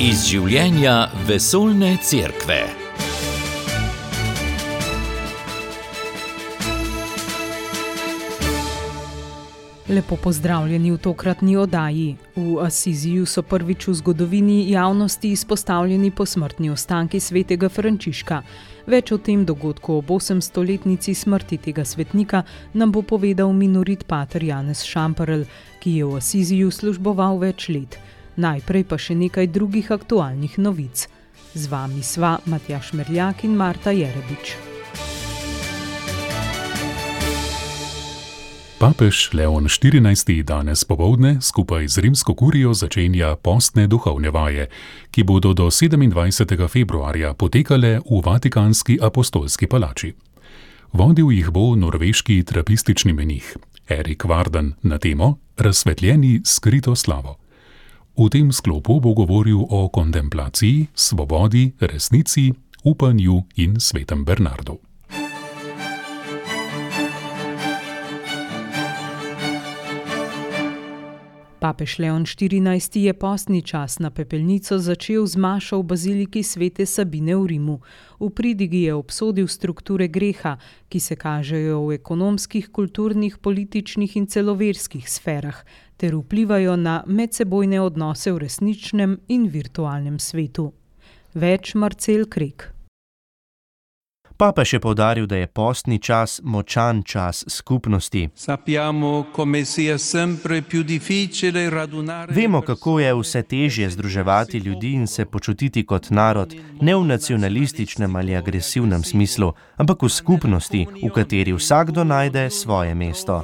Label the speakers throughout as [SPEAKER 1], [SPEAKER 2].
[SPEAKER 1] Iz življenja vesoljne cerkve.
[SPEAKER 2] Lepo pozdravljeni v tokratni oddaji. V Asiziju so prvič v zgodovini javnosti izpostavljeni posmrtni ostanki svetega Frančiška. Več o tem dogodku ob 800-letnici smrti tega svetnika nam bo povedal minorit pater Janez Šamperl, ki je v Asiziju služboval več let. Najprej pa še nekaj drugih aktualnih novic. Z vami sva Matjaž Merljak in Marta Jerebič.
[SPEAKER 3] Papež Leon XIV. Danes popoldne skupaj z rimsko kurijo začenja postne duhovne vaje, ki bodo do 27. februarja potekale v Vatikanski apostolski palači. Vodil jih bo norveški trapistični menih Erik Varden na temo Razsvetljeni skrito slavo. V tem sklopu bo govoril o kontemplaciji, svobodi, resnici, upanju in svetem Bernardu.
[SPEAKER 2] Papež Leon XIV. Je postni čas na pepelnico začel z mašo v baziliki svete Sabine v Rimu. V pridigi je obsodil strukture greha, ki se kažejo v ekonomskih, kulturnih, političnih in celo verskih sferah, ter vplivajo na medsebojne odnose v resničnem in virtualnem svetu. Več Marcel Krek.
[SPEAKER 4] Papež je poudaril, da je postni čas močan čas skupnosti. Vemo, kako je vse težje združevati ljudi in se počutiti kot narod, ne v nacionalističnem ali agresivnem smislu, ampak v skupnosti, v kateri vsakdo najde svoje mesto.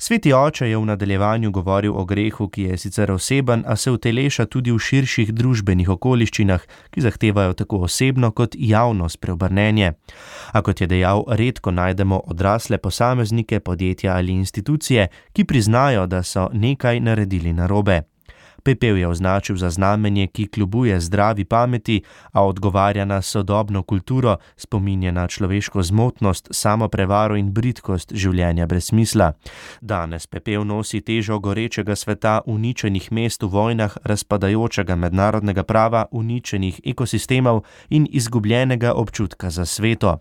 [SPEAKER 4] Sveti oče je v nadaljevanju govoril o grehu, ki je sicer oseben, a se uteleša tudi v širših družbenih okoliščinah, ki zahtevajo tako osebno kot javno spreobrnenje. A kot je dejal, redko najdemo odrasle posameznike, podjetja ali institucije, ki priznajo, da so nekaj naredili narobe. Pepel je označil za znamenje, ki kljubuje zdravi pameti, a odgovarja na sodobno kulturo, spominja na človeško zmotnost, samoprevaro in bridkost življenja brez smisla. Danes pepel nosi težo gorečega sveta, uničenih mest v vojnah, razpadajočega mednarodnega prava, uničenih ekosistemov in izgubljenega občutka za sveto.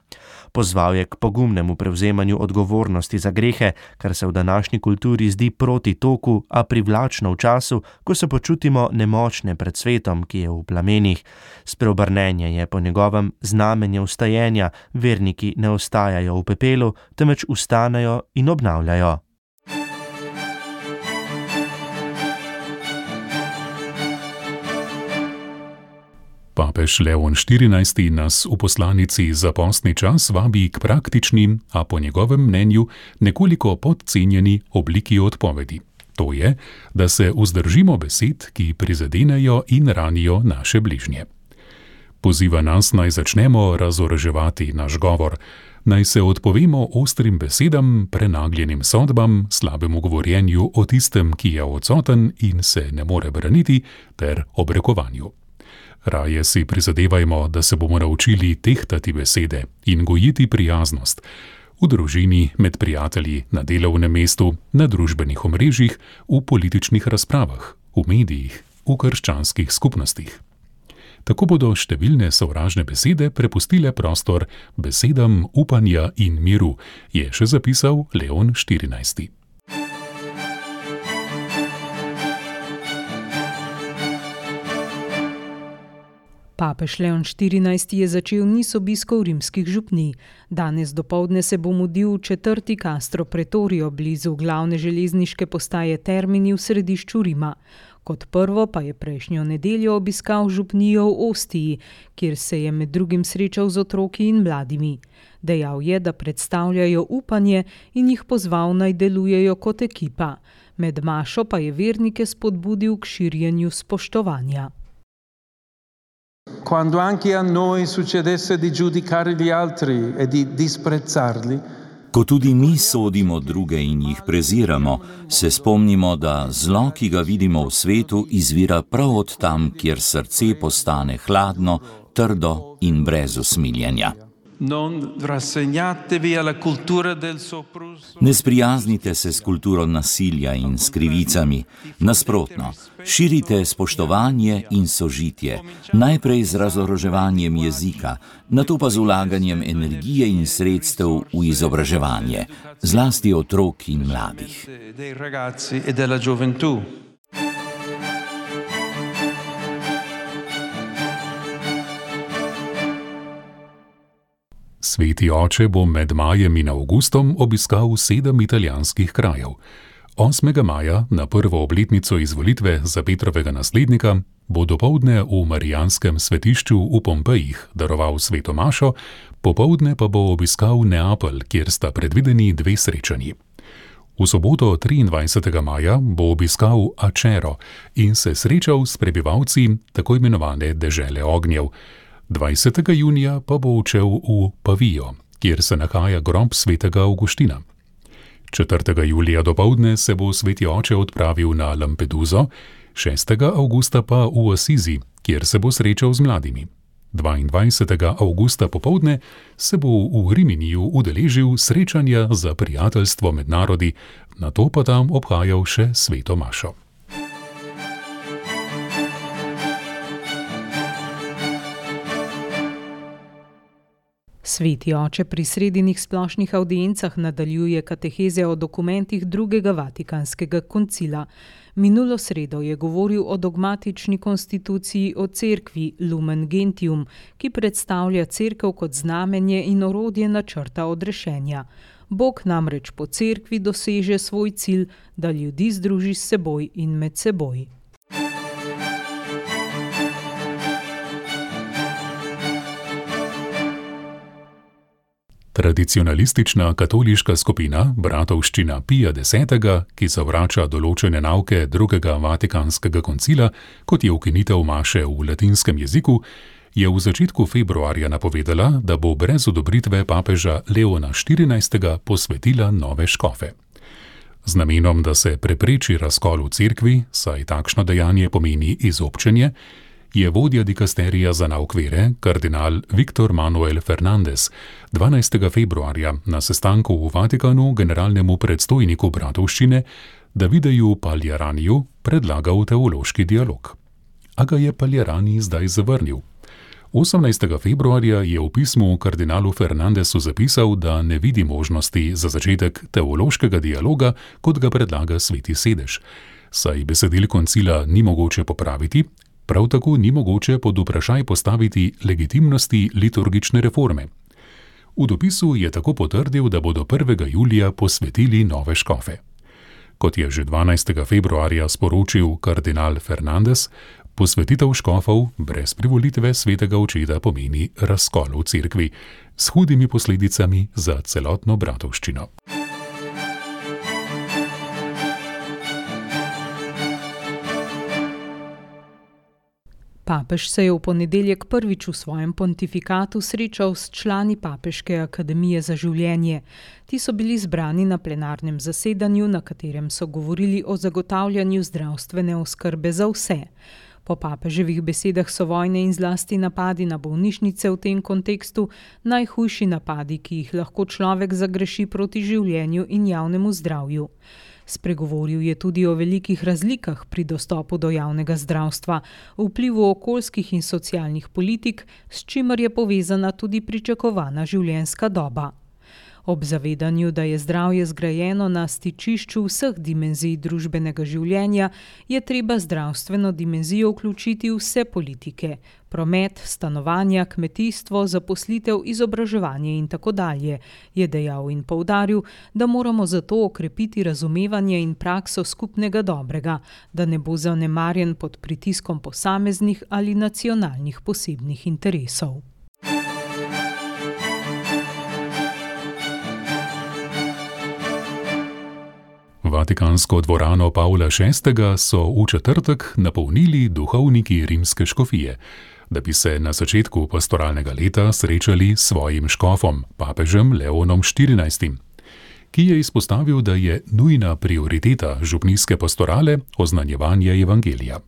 [SPEAKER 4] Pozval je k pogumnemu prevzemanju odgovornosti za grehe, kar se v današnji kulturi zdi proti toku, a privlačno v času, ko se počutimo nemočne pred svetom, ki je v plamenih. Spreobrnenje je po njegovem znamenje vstajenja, verniki ne ostajajo v pepelu, temveč vstanejo in obnavljajo.
[SPEAKER 3] Papež Leon XIV. Nas v poslanici za postni čas vabi k praktični, a po njegovem mnenju nekoliko podcenjeni obliki odpovedi. To je, da se vzdržimo besed, ki prizadenejo in ranijo naše bližnje. Poziva nas, naj začnemo razoroževati naš govor, naj se odpovemo ostrim besedam, prenagljenim sodbam, slabemu govorjenju o tistem, ki je odsoten in se ne more braniti, ter obrekovanju. Raje si prizadevajmo, da se bomo naučili tehtati besede in gojiti prijaznost, v družini, med prijatelji, na delovnem mestu, na družbenih omrežjih, v političnih razpravah, v medijih, v krščanskih skupnostih. Tako bodo številne sovražne besede prepustile prostor besedam upanja in miru, je še zapisal Leon XIV.
[SPEAKER 2] Papež Leon XIV. Je začel niz obiskov rimskih župnij. Danes dopoldne se bo mudil v 4. Castro Pretorio blizu glavne železniške postaje Termini v središču Rima. Kot prvo pa je prejšnjo nedeljo obiskal župnijo v Ostiji, kjer se je med drugim srečal z otroki in mladimi. Dejal je, da predstavljajo upanje in jih pozval, naj delujejo kot ekipa. Med mašo pa je vernike spodbudil k širjenju spoštovanja.
[SPEAKER 5] Quando anche a noi succedesse di giudicare gli altri e di disprezzarli,
[SPEAKER 6] Ko tudi mi sodimo druge in jih preziramo, se spomnimo, da zlo, ki ga vidimo v svetu, izvira prav od tam, kjer srce postane hladno, trdo in brez usmiljenja. Ne sprijaznite se s kulturo nasilja in s krivicami. Nasprotno, širite spoštovanje in sožitje, najprej z razoroževanjem jezika, nato pa z vlaganjem energije in sredstev v izobraževanje, zlasti otrok in mladih.
[SPEAKER 3] Sveti oče bo med majem in avgustom obiskal 7 italijanskih krajev. 8. maja, na prvo obletnico izvolitve za Petrovega naslednika, bo dopoldne v Marijanskem svetišču v Pompejih daroval sveto mašo, popoldne pa bo obiskal Neapelj, kjer sta predvideni 2 srečanji. V soboto 23. maja bo obiskal Acero in se srečal s prebivalci tako imenovane dežele ognjev. 20. junija pa bo odšel v Pavijo, kjer se nahaja grob svetega Avguština. 4. julija dopoldne se bo sveti oče odpravil na Lampeduso, 6. avgusta pa v Asizi, kjer se bo srečal z mladimi. 22. avgusta popoldne se bo v Riminiju udeležil srečanja za prijateljstvo med narodi, nato pa tam obhajal še sveto mašo.
[SPEAKER 2] Sveti oče pri sredinih splošnih avdiencah nadaljuje kateheze o dokumentih drugega Vatikanskega koncila. Minulo sredo je govoril o dogmatični konstituciji o cerkvi Lumen Gentium, ki predstavlja cerkev kot znamenje in orodje načrta odrešenja. Bog namreč po cerkvi doseže svoj cilj, da ljudi združi s seboj in med seboj.
[SPEAKER 3] Tradicionalistična katoliška skupina Bratovščina Pija X, ki zavrača določene nauke drugega Vatikanskega koncila, kot je ukinitev maše v latinskem jeziku, je v začetku februarja napovedala, da bo brez odobritve papeža Leona XIV. Posvetila nove škofe. Z namenom, da se prepreči razkol v cerkvi, saj takšno dejanje pomeni izobčenje, je vodja dikasterija za nauk vere, kardinal Viktor Manuel Fernandez, 12. februarja na sestanku v Vatikanu generalnemu predstojniku Bratovščine Davideju Paljaraniju predlagal teološki dialog. A ga je Paljarani zdaj zavrnil. 18. februarja je v pismu kardinalu Fernandezu zapisal, da ne vidi možnosti za začetek teološkega dialoga, kot ga predlaga Sveti sedež, saj besedil koncila ni mogoče popraviti, prav tako ni mogoče pod vprašaj postaviti legitimnosti liturgične reforme. V dopisu je tako potrdil, da bodo 1. julija posvetili nove škofe. Kot je že 12. februarja sporočil kardinal Fernandez, posvetitev škofov brez privolitve svetega očeta pomeni razkol v cerkvi s hudimi posledicami za celotno bratovščino.
[SPEAKER 2] Papež se je v ponedeljek prvič v svojem pontifikatu srečal s člani Papeške akademije za življenje. Ti so bili zbrani na plenarnem zasedanju, na katerem so govorili o zagotavljanju zdravstvene oskrbe za vse. Po papeževih besedah so vojne in zlasti napadi na bolnišnice v tem kontekstu najhujši napadi, ki jih lahko človek zagreši proti življenju in javnemu zdravju. Spregovoril je tudi o velikih razlikah pri dostopu do javnega zdravstva, vplivu okoljskih in socialnih politik, s čimer je povezana tudi pričakovana življenjska doba. Ob zavedanju, da je zdravje zgrajeno na stičišču vseh dimenzij družbenega življenja, je treba zdravstveno dimenzijo vključiti v vse politike, promet, stanovanja, kmetijstvo, zaposlitev, izobraževanje in tako dalje, je dejal in poudaril, da moramo zato okrepiti razumevanje in prakso skupnega dobrega, da ne bo zanemarjen pod pritiskom posameznih ali nacionalnih posebnih interesov.
[SPEAKER 3] Vatikansko dvorano Pavla VI. So v četrtek napolnili duhovniki rimske škofije, da bi se na začetku pastoralnega leta srečali s svojim škofom, papežem Leonom XIV., ki je izpostavil, da je nujna prioriteta župnijske pastorale oznanjevanje evangelija.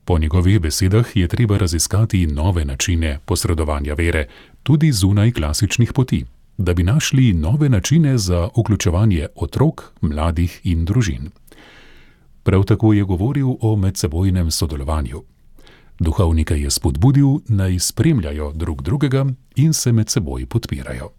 [SPEAKER 3] Po njegovih besedah je treba raziskati nove načine posredovanja vere, tudi zunaj klasičnih poti, da bi našli nove načine za vključevanje otrok, mladih in družin. Prav tako je govoril o medsebojnem sodelovanju. Duhovnike je spodbudil, naj spremljajo drug drugega in se med seboj podpirajo.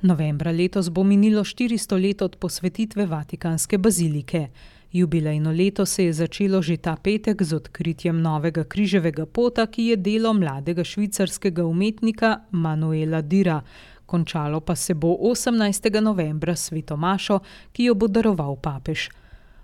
[SPEAKER 2] Novembra letos bo minilo 400 let od posvetitve Vatikanske bazilike. Jubilejno leto se je začelo že ta petek z odkritjem novega križevega pota, ki je delo mladega švicarskega umetnika Manuela Dira. Končalo pa se bo 18. novembra s sveto mašo, ki jo bo daroval papež.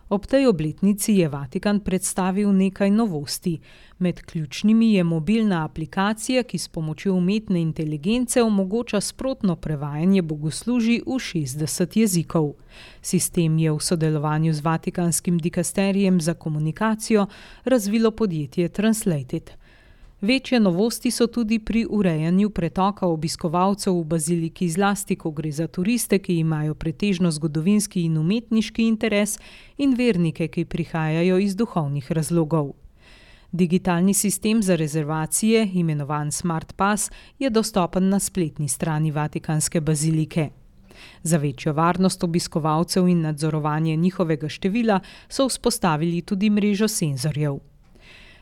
[SPEAKER 2] Ob tej obletnici je Vatikan predstavil nekaj novosti. Med ključnimi je mobilna aplikacija, ki s pomočjo umetne inteligence omogoča sprotno prevajanje bogoslužij v 60 jezikov. Sistem je v sodelovanju z Vatikanskim dikasterijem za komunikacijo razvilo podjetje Translated. Večje novosti so tudi pri urejanju pretoka obiskovalcev v baziliki, zlasti ko gre za turiste, ki imajo pretežno zgodovinski in umetniški interes, in vernike, ki prihajajo iz duhovnih razlogov. Digitalni sistem za rezervacije, imenovan Smart Pass, je dostopen na spletni strani Vatikanske bazilike. Za večjo varnost obiskovalcev in nadzorovanje njihovega števila so vzpostavili tudi mrežo senzorjev.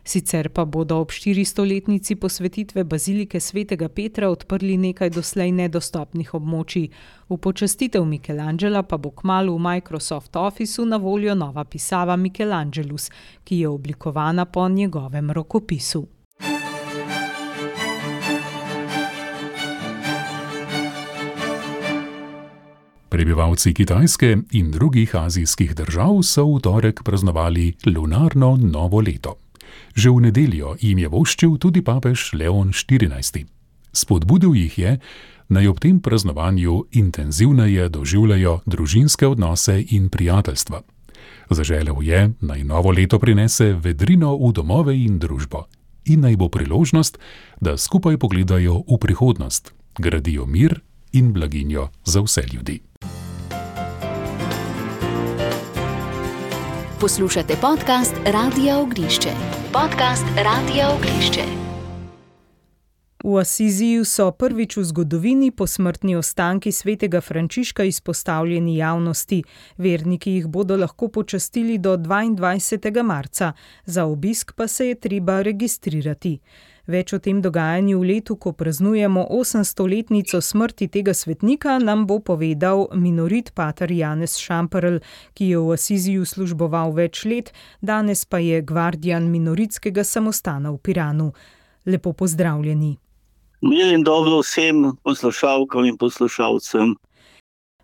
[SPEAKER 2] Sicer pa bodo ob 400-letnici posvetitve bazilike svetega Petra odprli nekaj doslej nedostopnih območij. V počastitev Michelangela pa bo kmalu v Microsoft Officeu na voljo nova pisava Michelangelus, ki je oblikovana po njegovem rokopisu.
[SPEAKER 3] Prebivalci Kitajske in drugih azijskih držav so v torek praznovali lunarno novo leto. Že v nedeljo jim je voščil tudi papež Leon XIV. Spodbudil jih je, naj ob tem praznovanju intenzivneje doživljajo družinske odnose in prijateljstva. Zaželel je, naj novo leto prinese vedrino v domove in družbo in naj bo priložnost, da skupaj pogledajo v prihodnost, gradijo mir in blaginjo za vse ljudi.
[SPEAKER 7] Poslušate podcast Radia Ognišče. Podcast Radia Ognišče.
[SPEAKER 2] V Asiziju so prvič v zgodovini posmrtni ostanki svetega Frančiška izpostavljeni javnosti. Verniki jih bodo lahko počastili do 22. marca. Za obisk pa se je treba registrirati. Več o tem dogajanju v letu, ko praznujemo 800-letnico smrti tega svetnika, nam bo povedal minorit pater Janez Šamperl, ki je v Asiziju služboval več let, danes pa je gvardijan minoritskega samostana v Piranu. Lepo pozdravljeni.
[SPEAKER 8] Mir in dobro vsem poslušalkam in poslušalcem.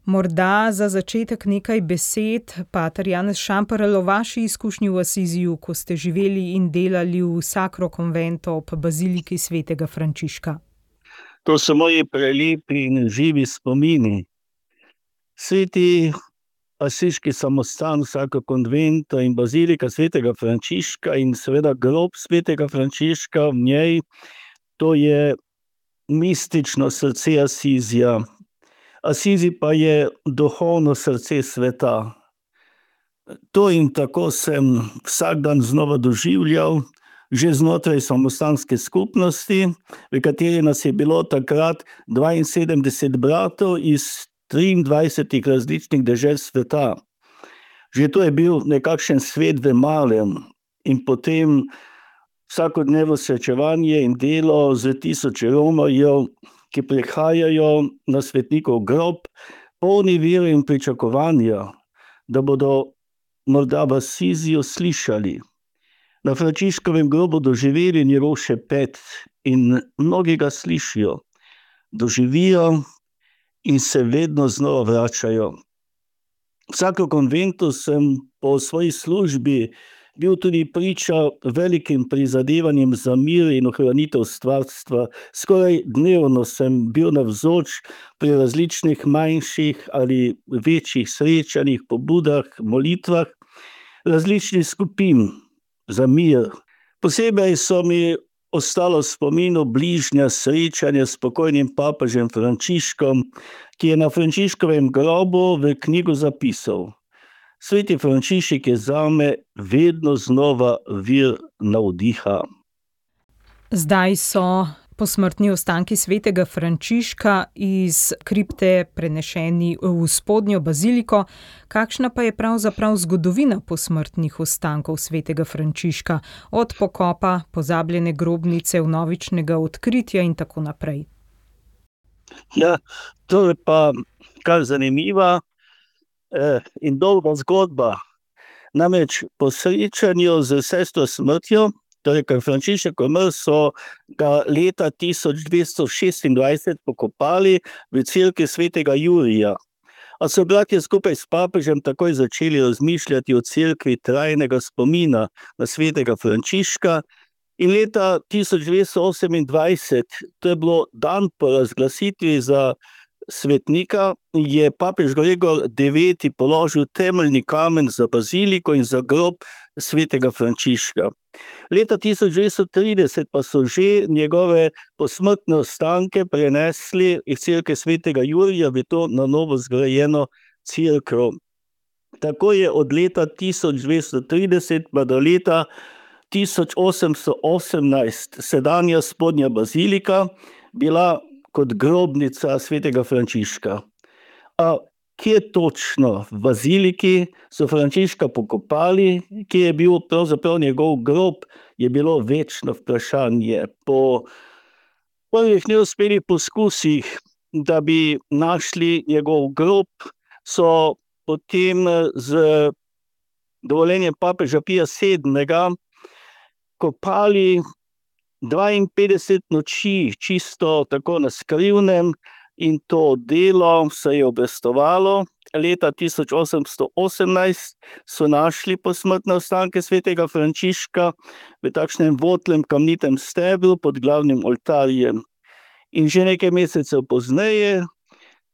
[SPEAKER 2] Morda za začetek nekaj besed, pater Janez Šamperl, o vaši izkušnji v Asiziju, ko ste živeli in delali v Sacro Convento ob baziliki svetega Frančiška.
[SPEAKER 8] To so moji prelepi in živi spomini. Sveti asiški samostan Sacro Convento in bazilika svetega Frančiška in seveda grob svetega Frančiška v njej, to je mistično srce Asizija. Asizi pa je duhovno srce sveta. To in tako sem vsak dan znova doživljal, že znotraj samostanske skupnosti, v kateri nas je bilo takrat 72 bratov iz 23 različnih dežel sveta. Že to je bil nekakšen svet v malem in potem vsakodnevno srečevanje in delo z tisoče Romarjev, ki prihajajo na svetnikov grob, polni vere in pričakovanja, da bodo morda v Asiziju slišali. Na Frančiškovem grobu doživeli njegov šepet in mnogi ga slišijo, doživijo in se vedno znova vračajo. V Sacro Conventu sem po svoji službi bil tudi priča velikim prizadevanjem za mir in ohranitev stvarstva. Skoraj dnevno sem bil navzoč pri različnih manjših ali večjih srečanjih, pobudah, molitvah različnih skupin za mir. Posebej so mi ostalo v spominu bližnja srečanja s pokojnim papežem Frančiškom, ki je na Frančiškovem grobu v knjigo zapisal: Sveti Frančišek je zame vedno znova vir navdiha.
[SPEAKER 2] Zdaj so posmrtni ostanki svetega Frančiška iz kripte prenešeni v spodnjo baziliko. Kakšna pa je pravzaprav zgodovina posmrtnih ostankov svetega Frančiška, od pokopa, pozabljene grobnice, vnovičnega odkritja in tako naprej?
[SPEAKER 8] Ja, to je pa kar zanimiva in dolga zgodba. Namreč po srečanju z sestro smrtjo, torej, ker Frančišek umrl, so ga leta 1226 pokopali v cerkvi svetega Jurija. A so bratje skupaj s papežem takoj začeli razmišljati o cerkvi trajnega spomina na svetega Frančiška in leta 1228, to je bilo dan po razglasitvi za svetnika, je papež Gregor IX položil temeljni kamen za baziliko in za grob svetega Frančiška. Leta 1930 pa so že njegove posmrtne ostanke prenesli iz cerkve svetega Jurija v to na novo zgrajeno cerkev. Tako je od leta 1230 pa do leta 1818 sedanja spodnja bazilika bila kot grobnica svetega Frančiška. A kje točno v baziliki so Frančiška pokopali, kje je bil pravzaprav njegov grob, je bilo večno vprašanje. Po prvih neuspelih poskusih, da bi našli njegov grob, so potem z dovoljenjem papeža Pija VII. Kopali 52 noči čisto tako na skrivnem in to delo se je obrestovalo. Leta 1818 so našli posmrtne ostanke svetega Frančiška v takšnem votlem kamnitem stebru pod glavnim oltarjem. In že nekaj mesecev pozneje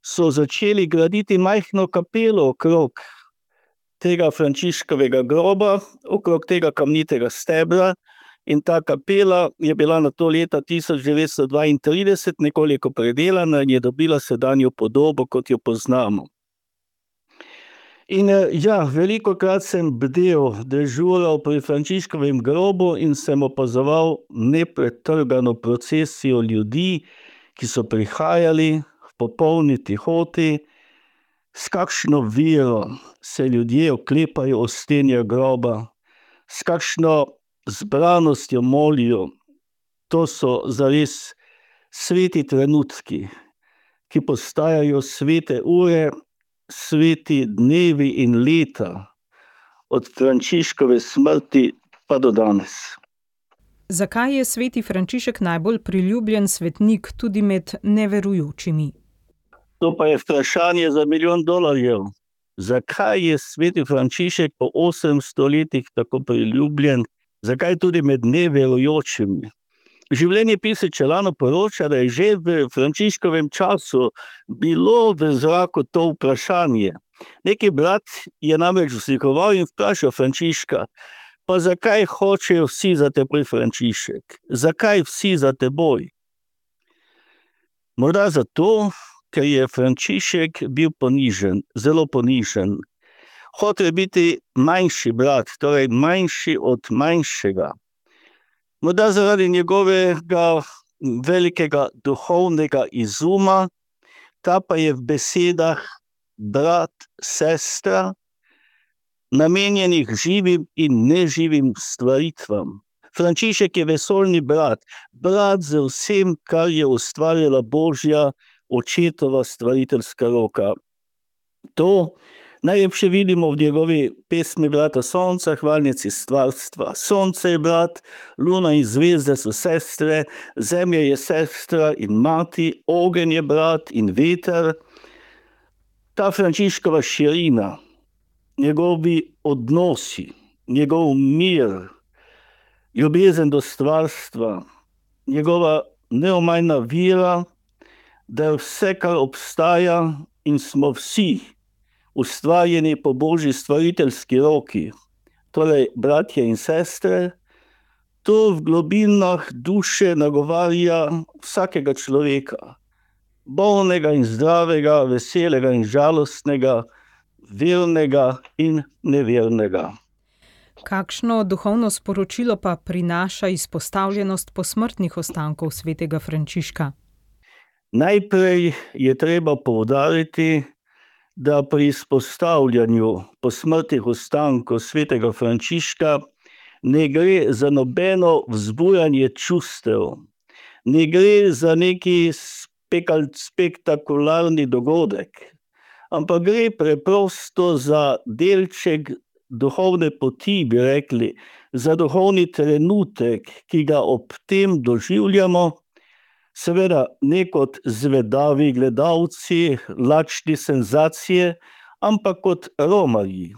[SPEAKER 8] so začeli graditi majhno kapelo okrog tega Frančiškovega groba, okrog tega kamnitega stebra. In ta kapela je bila nato leta 1932 nekoliko predelana in je dobila sedanjo podobo, kot jo poznamo. In velikokrat sem bdel, dežural pri Frančiškovem grobu in sem opazoval nepretrgano procesijo ljudi, ki so prihajali v popolni tihoti, s kakšno vero se ljudje oklepajo ostenja groba, s kakšno zbranostjo molijo. To so zares sveti trenutki, ki postajajo svete ure, sveti dnevi in leta od Frančiškove smrti pa do danes.
[SPEAKER 2] Zakaj je sveti Frančišek najbolj priljubljen svetnik tudi med neverujočimi?
[SPEAKER 8] To pa je vprašanje za $1 milijon. Zakaj je sveti Frančišek po 800 letih tako priljubljen? Zakaj tudi med neverujočimi? Življenjepis Čelano poroča, da je že v Frančiškovem času bilo v zraku to vprašanje. Neki brat je namreč vzlikoval in vprašal Frančiška: pa zakaj hočejo vsi za teboj, Frančišek? Zakaj vsi za teboj? Morda zato, ker je Frančišek bil ponižen, zelo ponižen. Hotel je biti manjši brat, torej manjši od manjšega. Morda zaradi njegovega velikega duhovnega izuma, ta pa je v besedah brat, sestra, namenjenih živim in neživim stvaritvam. Frančišek je vesoljni brat, brat z vsem, kar je ustvarjala Božja očetova stvariteljska roka. To najlepše vidimo v njegovi pesmi Brata sonca, hvalnici stvarstva. Sonce je brat, luna in zvezde so sestre, zemlja je sestra in mati, ogenj je brat in veter. Ta Frančiškova širina, njegovi odnosi, njegov mir, ljubezen do stvarstva, njegova neomajna vera, da je vse, kar obstaja in smo vsi ustvarjeni po Božji stvariteljski roki, torej bratje in sestre, To v globinah duše nagovarja vsakega človeka, bolnega in zdravega, veselega in žalostnega, vernega in nevernega.
[SPEAKER 2] Kakšno duhovno sporočilo pa prinaša izpostavljenost posmrtnih ostankov svetega Frančiška?
[SPEAKER 8] Najprej je treba poudariti, da pri izpostavljanju posmrtnih ostankov svetega Frančiška ne gre za nobeno vzbujanje čustev, ne gre za neki spektakularni dogodek, ampak gre preprosto za delček duhovne poti, bi rekli, za duhovni trenutek, ki ga ob tem doživljamo, seveda ne kot zvedavi gledalci, lačni senzacije, ampak kot romarji,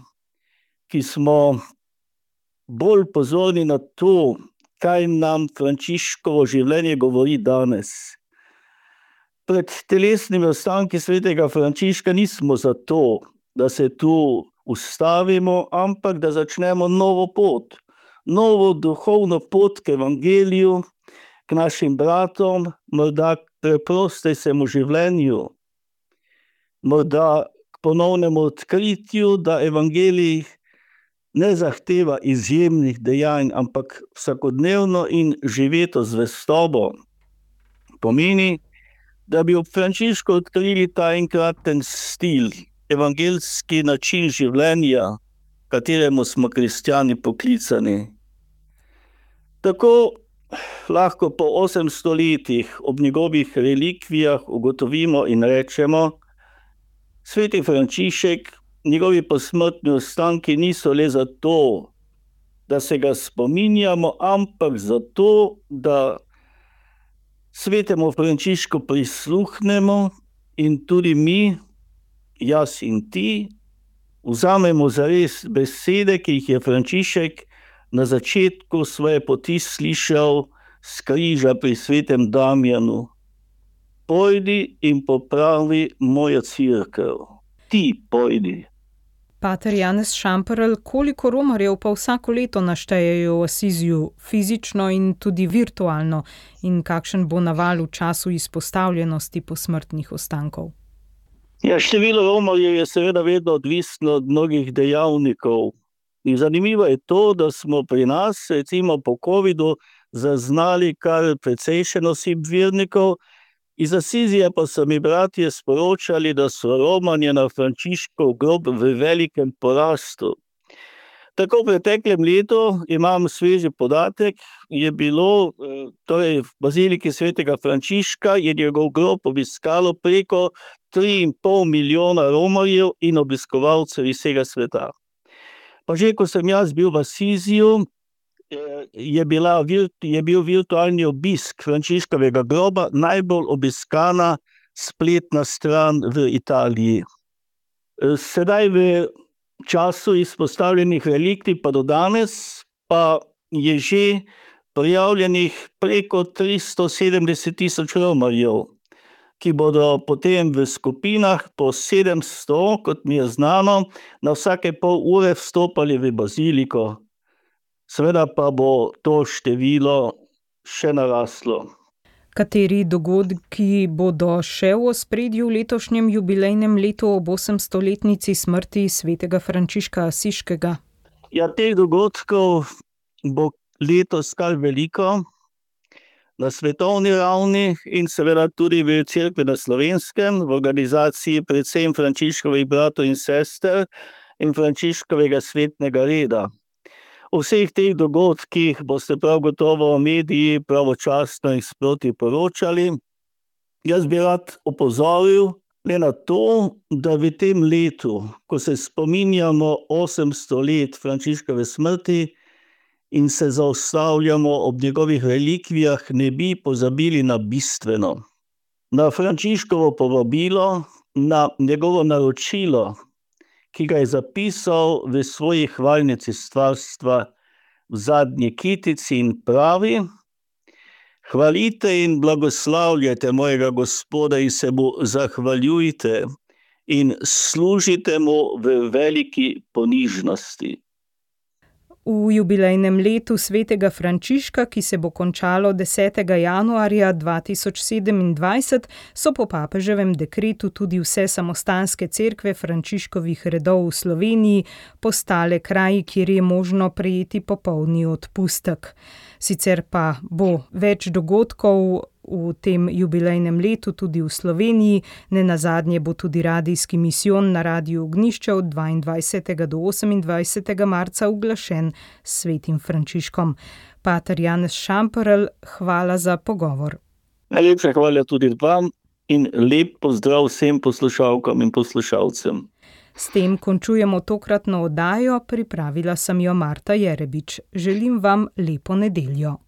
[SPEAKER 8] ki smo bolj pozorni na to, kaj nam Frančiškovo življenje govori danes. Pred telesnimi ostanki svetega Frančiška nismo zato, da se tu ustavimo, ampak da začnemo novo pot, novo duhovno pot k evangeliju, k našim bratom, morda k preprostejšemu življenju, morda k ponovnemu odkritju, da evangelij ne zahteva izjemnih dejanj, ampak vsakodnevno in živeto zvestobo. Pomeni, da bi ob Frančišku odkrili ta enkraten stil, evangeljski način življenja, kateremu smo kristjani poklicani. Tako lahko po 800 letih ob njegovih relikvijah ugotovimo in rečemo, sveti Frančišek, njegovi posmrtni ostanki niso le zato, da se ga spominjamo, ampak zato, da svetemu Frančišku prisluhnemo in tudi mi, jaz in ti, vzamemo zares besede, ki jih je Frančišek na začetku svoje poti slišal s križa pri svetem Damjanu. Pojdi in popravi mojo cerkev. Ti pojdi.
[SPEAKER 2] Pater Janez Šamperl, koliko romarjev pa vsako leto naštejejo v Asiziju, fizično in tudi virtualno, in kakšen bo naval v času izpostavljenosti posmrtnih ostankov?
[SPEAKER 8] Ja, število romarjev je seveda vedno odvisno od mnogih dejavnikov. In zanimivo je to, da smo pri nas, recimo po covidu, zaznali kar precejšen osip vernikov. Iz Asizije pa so mi bratje sporočali, da so romanje na Frančiškov grob v velikem porastu. Tako v preteklem letu, imam sveži podatek, je bilo v baziliki svetega Frančiška je njegov grob obiskalo preko 3,5 milijona romarjev in obiskovalcev iz vsega sveta. Pa že, ko sem jaz bil v Asiziju, je bil virtualni obisk Frančiškovega groba najbolj obiskana spletna stran v Italiji. Sedaj v času izpostavljenih relikvij pa do danes pa je že prijavljenih preko 370,000 romarjev, ki bodo potem v skupinah po 700, kot mi je znano, na vsake pol ure vstopali v baziliko. Seveda pa bo to število še naraslo.
[SPEAKER 2] Kateri dogodki bodo še v ospredju v letošnjem jubilejnem letu ob 800-letnici smrti svetega Frančiška Asiškega?
[SPEAKER 8] Ja, teh dogodkov bo letos kar veliko na svetovni ravni in seveda tudi v cerkvi na Slovenskem, v organizaciji predvsem Frančiškovih bratov in sester in Frančiškovega svetnega reda. O vseh teh dogodkih boste prav gotovo mediji pravočasno in sproti poročali. Jaz bi rad opozoril le na to, da v tem letu, ko se spominjamo 800 let Frančiškove smrti in se zaustavljamo ob njegovih relikvijah, ne bi pozabili na bistveno. Na Frančiškovo povabilo, na njegovo naročilo, ki ga je zapisal v svoji hvalnici stvarstva v zadnji kitici in pravi: hvalite in blagoslavljajte mojega Gospoda in se mu zahvaljujte in služite mu v veliki ponižnosti.
[SPEAKER 2] V jubilejnem letu svetega Frančiška, ki se bo končalo 10. januarja 2027, so po papeževem dekretu tudi vse samostanske cerkve Frančiškovih redov v Sloveniji postale kraji, kjer je možno prejeti popolni odpustek. Sicer pa bo več dogodkov v tem jubilejnem letu tudi v Sloveniji, nenazadnje bo tudi radijski misijon na Radiu Ognjišče od 22. do 28. marca uglašen s svetim Frančiškom. Pater Janez Šamperl, hvala za pogovor.
[SPEAKER 8] Najlepša hvala tudi vam in lep pozdrav vsem poslušalkam in poslušalcem.
[SPEAKER 2] S tem končujemo tokratno oddajo, pripravila sem jo Marta Jerebič. Želim vam lepo nedeljo.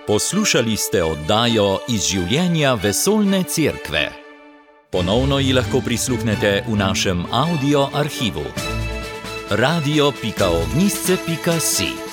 [SPEAKER 1] Poslušali ste oddajo iz življenja Vesoljne cerkve. Ponovno ji lahko prisluhnete v našem audio arhivu. radio.ognisce.si